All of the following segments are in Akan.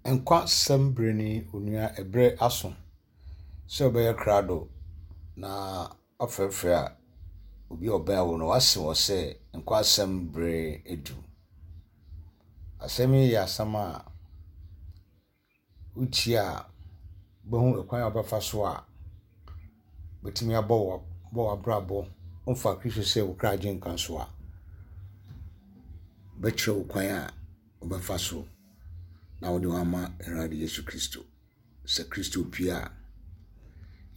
Nkwasɛm bere ni onua ɛberɛ aso sɛ wobɛyɛ krado na wafrɛfrɛ a obi a ɔbɛn wo no wase wɔ sɛ nkwasɛm bere adu. Asɛm yi yɛ asɛm a wotie a wobɛhu ɛkwan a wobɛfa so a wobɛtumi abɔ w'abrabɔ wofa Kristo sɛ wo kra agyenkwa nso a bɛkyerɛ wo kwan a wobɛfa so na wode wo ama Awurade Yesu Kristo. Sɛ Kristo pue a,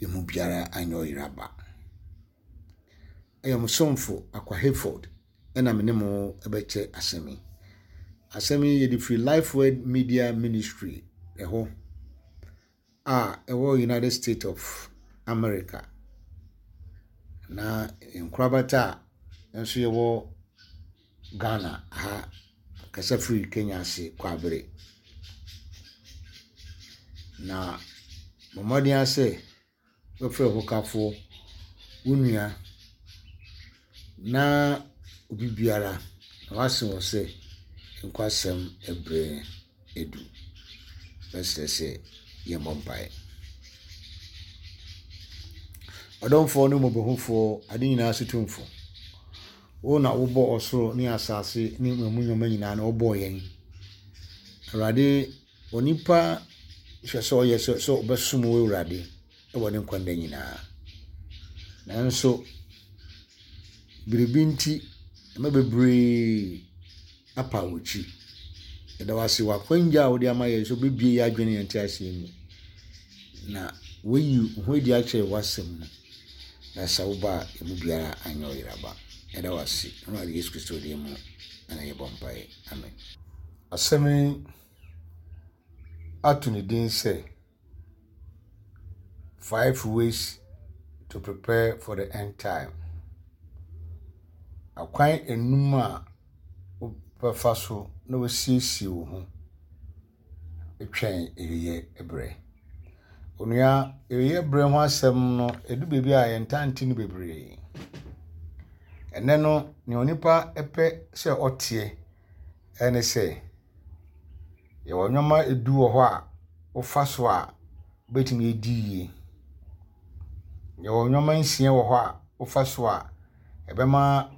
yɛn mu biara anyɛ ɔyera ba. Ɛyɛ mo somfo Akwa Hayford ɛna me ne mo ɛbɛkyɛ asɛm yi. Asɛm yi yɛde firi Life Word Media Ministry ɛhɔ a ɛwɔ United States of America. Na nkorabata a nso yɛwɔ Ghana ha kasa firi Kenya ase Kwaabere. Na bɔ mmɔden ara sɛ wobɛfrɛ wo hokafoɔ, wo nua na obi biara na woase wɔn sɛ nkwasɛm berɛ adu. Mɛsrɛ sɛ yɛmmɔ mpaeɛ. Ɔdomfoɔ ne mmɔborɔhufoɔ, ade nyinaa so tumfoɔ, wo na wobɔɔ ɔsoro ne asase ne emu nneɛma nyinaa na wobɔɔ yɛn. Awurade, onipa hwɛ sɛ ɔyɛ sɛ sɛ ɔbɛsom wo Awurade wɔ ne nkwa nna nyinaa. Nanso, biribi nti, ɛma bebree apa wo akyi. Yɛda wo ase wɔ akwanya a wode ama yɛn sɛ wobɛbue yɛn adwene ne yɛn nteaseɛ mu. Na woayi wo ho adi akyerɛ w'asɛm mu. Na sɛ woba a, yɛn mu biara anyɛ ɔyeraba. Yɛda wo ase. Awurade Yesu Kristo din mu na yɛbɔ mpaeɛ. Amen. Asɛm yi ato ne din sɛ Five Ways to Prepare for the End Time. Akwan enum a wobɛfa so na woasiesie wo ho twɛn awieeɛ berɛ. Onua, awieeɛ berɛ ho asɛm no, ɛdu baabi a yɛntaa nte no bebree. Ɛnnɛ no, nea onipa pɛ sɛ ɔteɛ ne sɛ, yɛwɔ nneɛma du wɔ hɔ a wofa so a, wobɛtumi adi yie. Yɛwɔ nneɛma nsia wɔ hɔ a wofa so a, ɛbɛma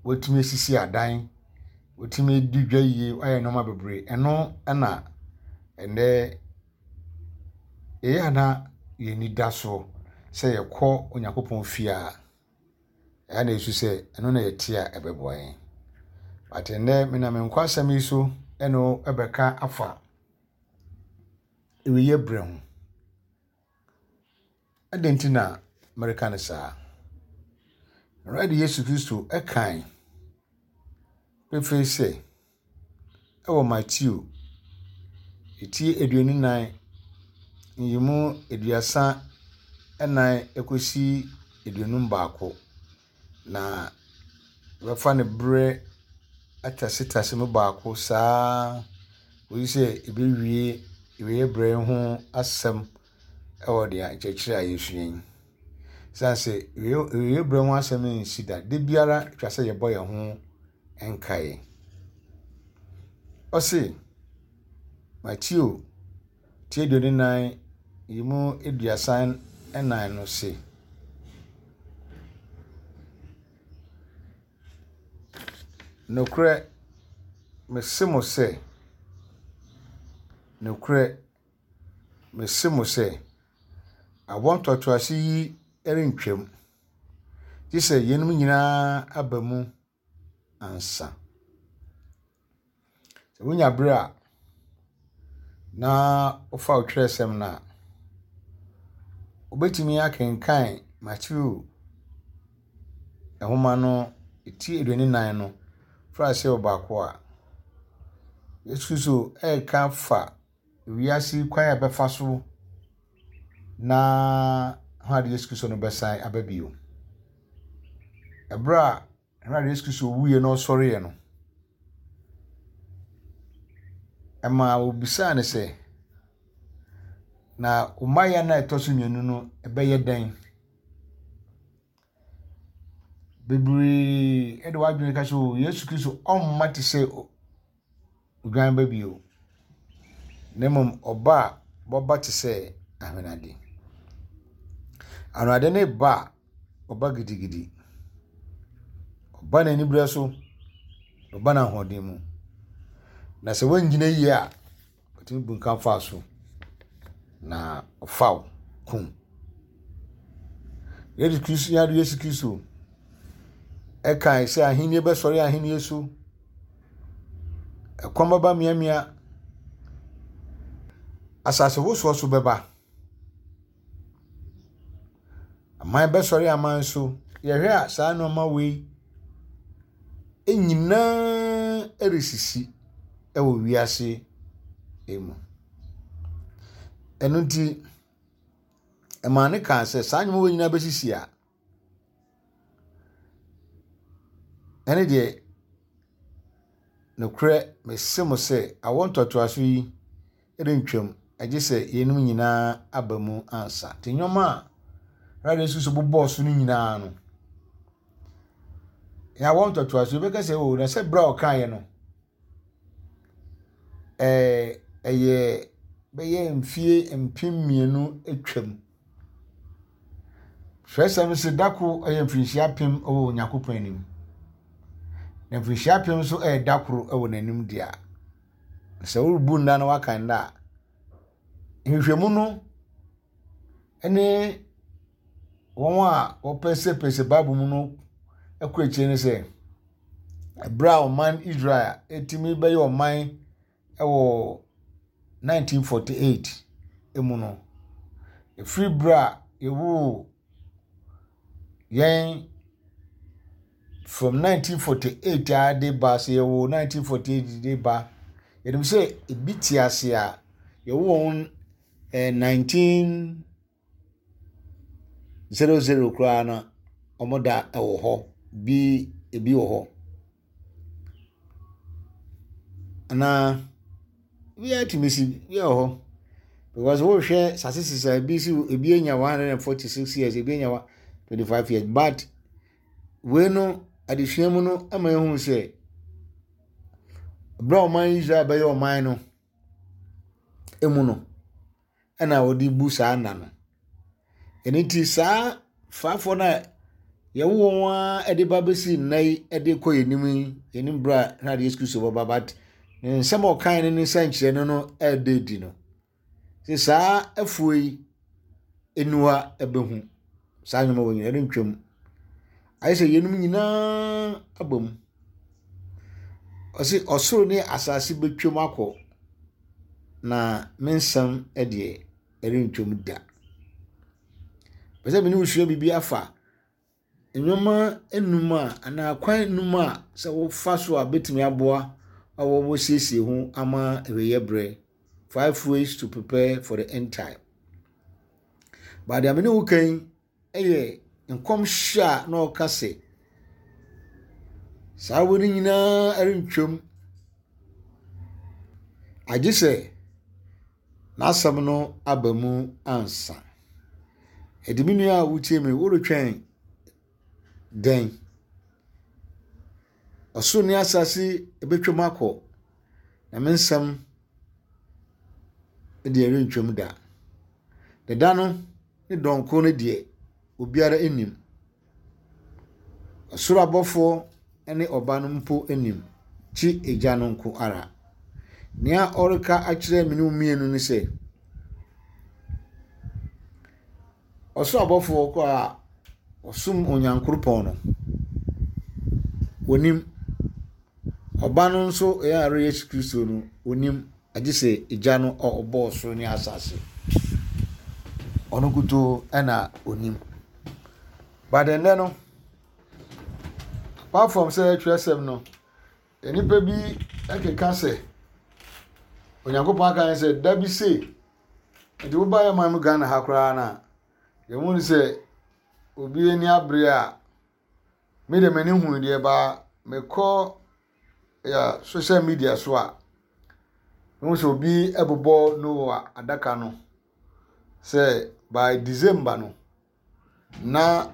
woatumi asisi adan, woatumi adi dwa yie, woayɛ nneɛma bebree. Ɛno na ɛnnɛ ɛyɛ a na yɛn ani da so sɛ yɛkɔ Onyankopɔn fie a, ɛyɛ na yɛsu sɛ ɛno na yɛte a ɛbɛboa yɛn. But ɛnnɛ menam nkwasɛm yi so ɛne wo ɛbɛka afa awieeɛ berɛ ho. Adɛn nti na mereka no saa? Awurade Yesu Kristo kae pefee sɛ, ɛwɔ Mateo ti 24, nyiyimu 34 kɔsi 51, na wɔbɛfa no berɛ atasetase mu baako saa ara kɔsi sɛ ɛbɛwie awieeɛ berɛ ho asɛm wɔ deɛ nkyerɛkyerɛ a yɛresua yi. Ɛsiane sɛ awieeɛ berɛ ho asɛm nsi da, da biara atwa sɛ yɛbɔ yɛn ho nkaeɛ. Ɔse, Mateo ti 24 yi mu 34 no se, Nokorɛ, mese mo sɛ, nokorɛ, Mese mo sɛ, awoɔ ntoatoasoɔ yi rentwam, gye sɛ yeinom nyinaa aba mu ansa. Sɛ wonya berɛ a, na wofa wo twerɛsɛm no a, wobɛtumi akenkan Mateo nwoma no ti 24 no, firi aseɛ wɔ baako a, Yesu Kristo reka fa wiase kwan a ɛbɛfa so na Awurade Yesu Kristo no bɛsan aba bio. Ɛberɛ a Awurade Yesu Kristo wuiɛ na ɔsɔreeɛ no, ɛmaa wɔbisaa no sɛ, na wo mmaeɛ no a ɛtɔ so mmienu no ɛbɛyɛ dɛn? Bebree de wɔn adwene ka sɛ o Yesu Kristo ɔmma te sɛ odwan ba bio. Na mmom ɔba a, ɔbɛba te sɛ ahwenade. Ahwenade no ba a, ɔba gidigidi. Ɔba n'aniberɛ so, ɔba n'ahoɔden mu. Na sɛ woannyina yie a, ɔtumi bunkam fa so na ɔfa wo kum. Yesu Kristo, yɛn Yesu Kristo ɛkae sɛ ahenni bɛsɔre ahenni so, ɛkɔm bɛba mmeammea, asase wosoɔ so bɛba. Aman bɛsɔre aman so. Yɛhwɛ a saa nneɛma wei nyinaa resisi wɔ wiase mu. Ɛno nti, ɛmaa no kaa sɛ saa nneɛma wei nyinaa bɛsisi a, ɛne deɛ nokorɛ mese mo sɛ awoɔ ntoatoasoɔ yi rentwam, gye sɛ yeinom nyinaa aba mu ansa. Nti nneɛma a Awurade Yesu Kristo bobɔɔ so no nyinaa no, yɛawɔ ntoatoasoɔ, yɛbɛka sɛ o, na sɛ berɛ a ɔkaeɛ no, ɛɛ ɛyɛ bɛyɛ mfie 2000 atwam. Twerɛsɛm se da koro yɛ mfirinhyia apem wɔ Onyankopɔn anim. Na mfirinhyia apem nso yɛ da koro wɔ n'anim deɛ. Sɛ worebu nna na woaka nna a, nhwehwɛmu no ne wɔn a wɔpɛsɛpɛsɛ Bible mu no kɔ akyire ne sɛ, berɛ a ɔman Israel tumi bɛyɛ ɔman wɔ 1948 mu no, ɛfiri berɛ a yɛwoo yɛn from 1948 ara de ba, sɛ yɛwoo 1948 de ba, yɛnim sɛ ebi te ase a, yɛwoo wɔn eh, 1900 koraa no, wɔn da wɔ hɔ, bi ebi wɔ hɔ. Anaa biara tumi si, bi wɔ hɔ. Because wohwɛ statistics a ebi si ebi anya 146 years, ebi anya 25 years, but Wei no, adesua mu no ma yɛhu sɛ berɛ a ɔman Israel bɛyɛ ɔman no mu no, ɛna wɔde bu saa nna no. Ɛno nti saa faafoɔ no a yɛwo wɔn ara de ba bɛsi nna yi de kɔ yɛn anim yi, yɛn anim berɛ a na Yesu Kristo bɛba but ne nsɛm a ɔkae no ne nsɛnkyerɛnne no ɛreda adi no. Sɛ saa afuo yi aniwa bɛhu saa nneɛma wɔ nyinaa ɛrentwam. Ayɛ sɛ yeinom nyinaa aba mu. Ɔse ɔsoro ne asase bɛtwam akɔ, na me nsɛm deɛ ɛrentwam da. Pɛ sɛ me ne wo sua biribi afa Nneɛma nnum a anaa akwan nnum a sɛ wofa so a ebetumi aboa ma wɔasiesie ho ama awieeɛ berɛ. Five ways to prepare for the end time. But deɛ me ne wo ka yi yɛ nkɔmhyɛ a na ɔka sɛ saa wei no nyinaa rentwam agye sɛ N'asɛm no aba mu ansa. Enti me nua a wotie me, woretwɛn dɛn? Ɔsoro ne asase ebetwam akɔ, na me nsɛm deɛ ɛrentwam da. Na da no ne dɔn ko no deɛ, obiara nnim. Ɔsoro abɔfoɔ ne Ɔba no mpo nnim, gye Agya no nko ara. Nea ɔreka akyerɛ me ne wo mmienu ne sɛ, ɔsoro abɔfoɔ koraa wɔsom Onyankoropɔn no, wɔnim. Ɔba no nso yɛn Awurade Yesu Kristo no, wɔnim, agye sɛ Agya no a ɔbɔɔ soro ne asase. Ɔno nkutoo na ɔnim. But ɛnnɛ no, apart from sɛ twerɛsɛm no, nnipa bi keka sɛ Onyankopɔn aka yɛn sɛ da bi sei, nti woba yɛn man mu Ghana ha koraa no a, yɛhu no sɛ obi ani abere a, me deɛ m'ani hu deɛ baa mekɔ yɛ social media so a, mehu sɛ obi bobɔ Noah adaka no sɛ by December no, na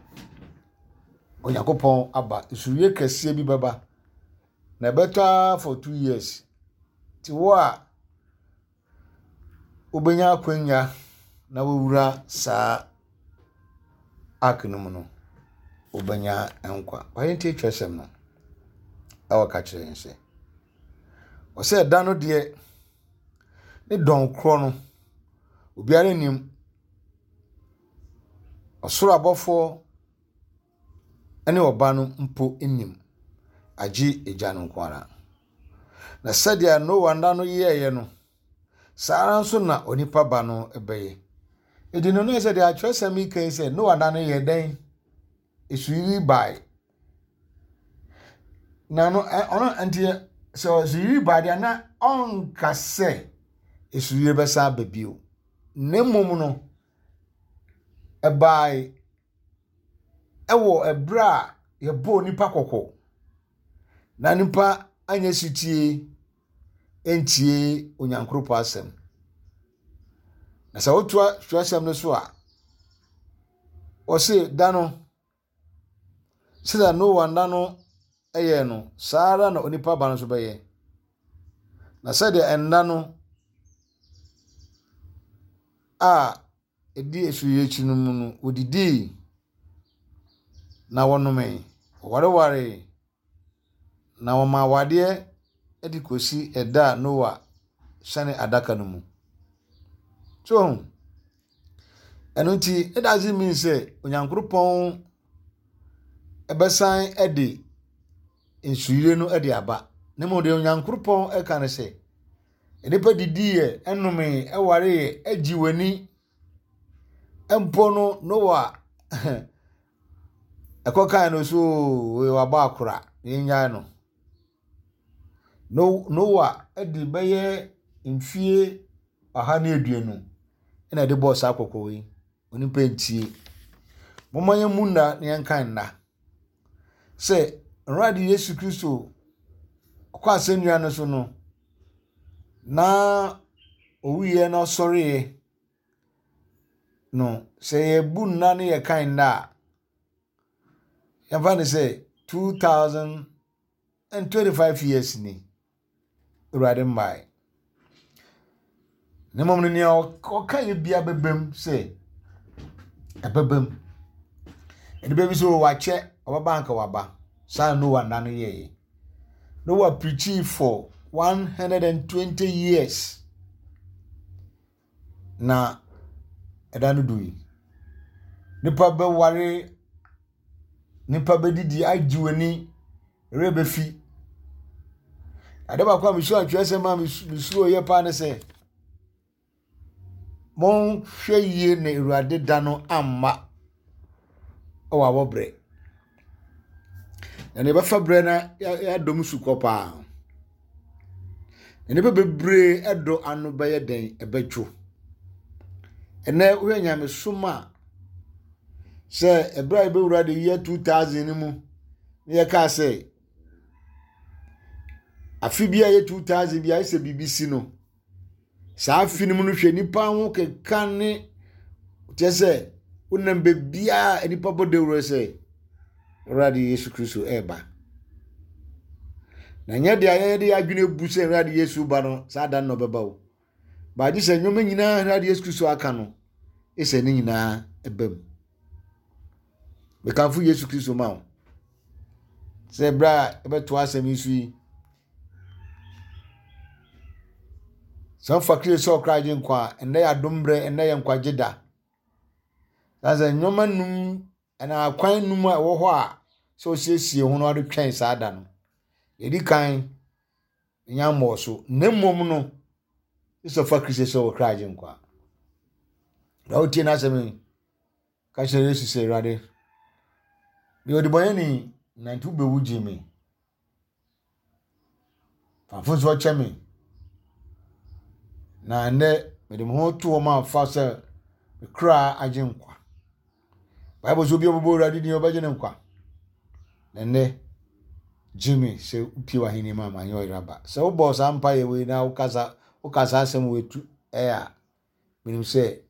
Onyankopɔn aba. Nsuyɛ kɛseɛ bi bɛba, na ɛbɛtɔ ara for 2 years. Nti wo a wobɛnya akwanya na wawura saa ark no mu no, wobɛnya nkwa. Wayɛ nti twerɛsɛm no ɛwɔ ka kyerɛ yɛn sɛ, ɔsɛ ɛda no deɛ ne dɔn korɔ no, obiara nnim. Ɔsoro abɔfoɔ ne Ɔba no mpo nnim, agye Agya no nko ara. Na sɛdeɛ Noa nna no yɛeɛ no, saa ara nso na onipa ba no bɛyɛ. Enti no na sɛ deɛ atwerɛsɛm yi ka yi sɛ Noa nna no yɛ dɛn? Esuyiri bae. Na no ɔno nti sɛ esuyiri bae deɛ na ɔnka sɛ esuyiri bɛsan aba bio. Na mmom no, ɛbae wɔ ɛberɛ a yɛbɔɔ nnipa kɔkɔ na nnipa anyɛ setie antie Onyankoropɔn asɛm. Na sɛ wotoa twerɛsɛm no so a, wɔse da no, sɛdeɛ Noa nna no yɛɛ no, saa ara na onipa ba no nso bɛyɛ. Na sɛdeɛ nna no a ɛdi asuo akyi no mu no, wɔdidii na wɔnomee, wɔwarewaree, na wɔmaa awadeɛ de kɔsi ɛda a Noa hyɛne adaka no mu. So ho? Ɛno nti, it doesn't mean sɛ Onyankopɔn ɛbɛsan de nsuyire no de aba. Na mmom deɛ Onyankopɔn ɛka ne sɛ, Nnipa didiiɛ, nomee, wareeɛ, gye wɔn ani. Mpo no, Noa ɛkɔkae no so oo, wabɔ akora, yɛnnyae no. Noa de bɛyɛ mfie 120 na ɛde bɔɔ saa kɔkɔɔ yi. Onipa ntie. Momma yɛmmu nna na yɛnkan nna. Sɛ Awurade Yesu Kristo kɔ asɛnnua no so no, na owuiɛ na ɔsɔreeɛ no, sɛ yɛbu nna ne yɛkan nna a, yɛmfa no sɛ 2025 years ni. Awurade mmae. Na mmom no, nea ɔka yɛ bia bɛbam sɛ ɛbɛbam. Nnipa bi sɛ wakyɛ, ɔbɛba anka waba. Saa Noa nna no yɛeɛ. Noa preachii for 120 years. Na ɛda no dui. Nnipa bɛware, nnipa bɛdidi agye wɔn ani, werɛ bɛfi. Ade baako a mesua atwerɛsɛm a mesuro yɛ paa ne sɛ, monhwɛ yie na Awurade da no amma wɔ awɔberɛ. Na nea ɛbɛfa berɛ na yɛadɔ mu sukɔ paa. Na nnipa bebree dɔ ano bɛyɛ dɛn? Ɛbɛdwo. Ɛnnɛ wohwɛ nyamesom a, sɛ ɛberɛ a yɛbɛwura the year 2000 no mu na yɛkaa sɛ afe bi a ɛyɛ 2000 bi a ayɛ sɛ biribi si no, Saa afe no mu no hwɛ nnipa ho keka ne kyerɛ sɛ wonam baabiara a nnipa bɔ dawuro sɛ Awurade Yesu Kristo ɛreba. Na nyɛ deɛ yɛde yɛn adwene bu sɛ Awurade Yesu ba no saa da no na ɔbɛba o. Baagye sɛ nneɛma nyinaa Awurade Yesu Kristo aka no sɛ ne nyinaa ɛba mu. Mekamfo Yesu Kristo ma wo sɛ berɛ a ɛbɛtoa asɛm yi so yi Sɛ wofa Kristo sɛ ɔkra agyenkwa a, ɛnnɛ yɛ adom berɛ, ɛnnɛ yɛ nkwagye da. Na sɛ nneɛma num anaa akwan num a ɛwɔ hɔ a sɛ osiesie ho na ɔde twɛn saa da no. Yɛdi kan nya mmɔɔ so, na mmom no, sɛ ɔfa Kristo sɛ ɔkra agyenkwa. Na wotie n'asɛm yi, ka kyerɛ Yesu sɛ, Awurade, meyɛ ɔdebɔneyɛni, na nti wobɛwu gye me. Fa mfomsoɔ kyɛ me. Na ɛnnɛ mede me ho to hɔ ma fa sɛ me kra agye nkwa. Bible sɛ obi a ɔbɛbɔ Awurade din ɔbɛgye ne nkwa. Na ɛnnɛ gye me sɛ wopie w'ahenni mu a manyɛ ɔyera ba. Sɛ wobɔ saa mpaeɛ wei na wokasa woka saa asɛm wei tu ɛyɛ a menim sɛ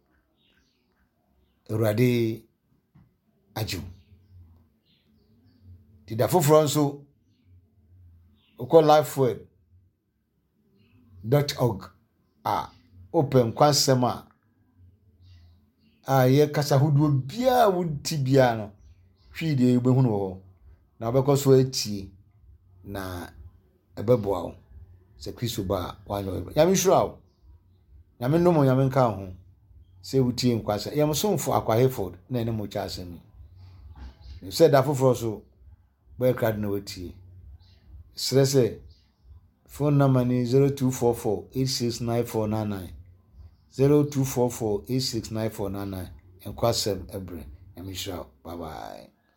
Awurade agye wo. Nti da foforɔ nso, wokɔ lifeword dot org a, Wopɛ nkwasɛm a a ɛyɛ kasa hodoɔ biara a wonte biara no, Twi deɛ wobɛhunu wɔ hɔ. Na wobɛkɔ so atie na ɛbɛboa wo sɛ Kristo ba a woanyɛ ɔyɛ. Nyame nhyira wo. Nyame nnom wo, Nyame nka wo ho sɛ wotie nkwasɛm. Yɛn somfo Akwa Hayford na ɛne mo kyɛ asɛm yi. Nim sɛ da foforɔ so bɛyɛ krado na watie. Serɛ sɛ phone number ni 0244 869499 0244 869499 nkwasɛm ɛbrɛ. Nyame nhyira wo. Bye bye.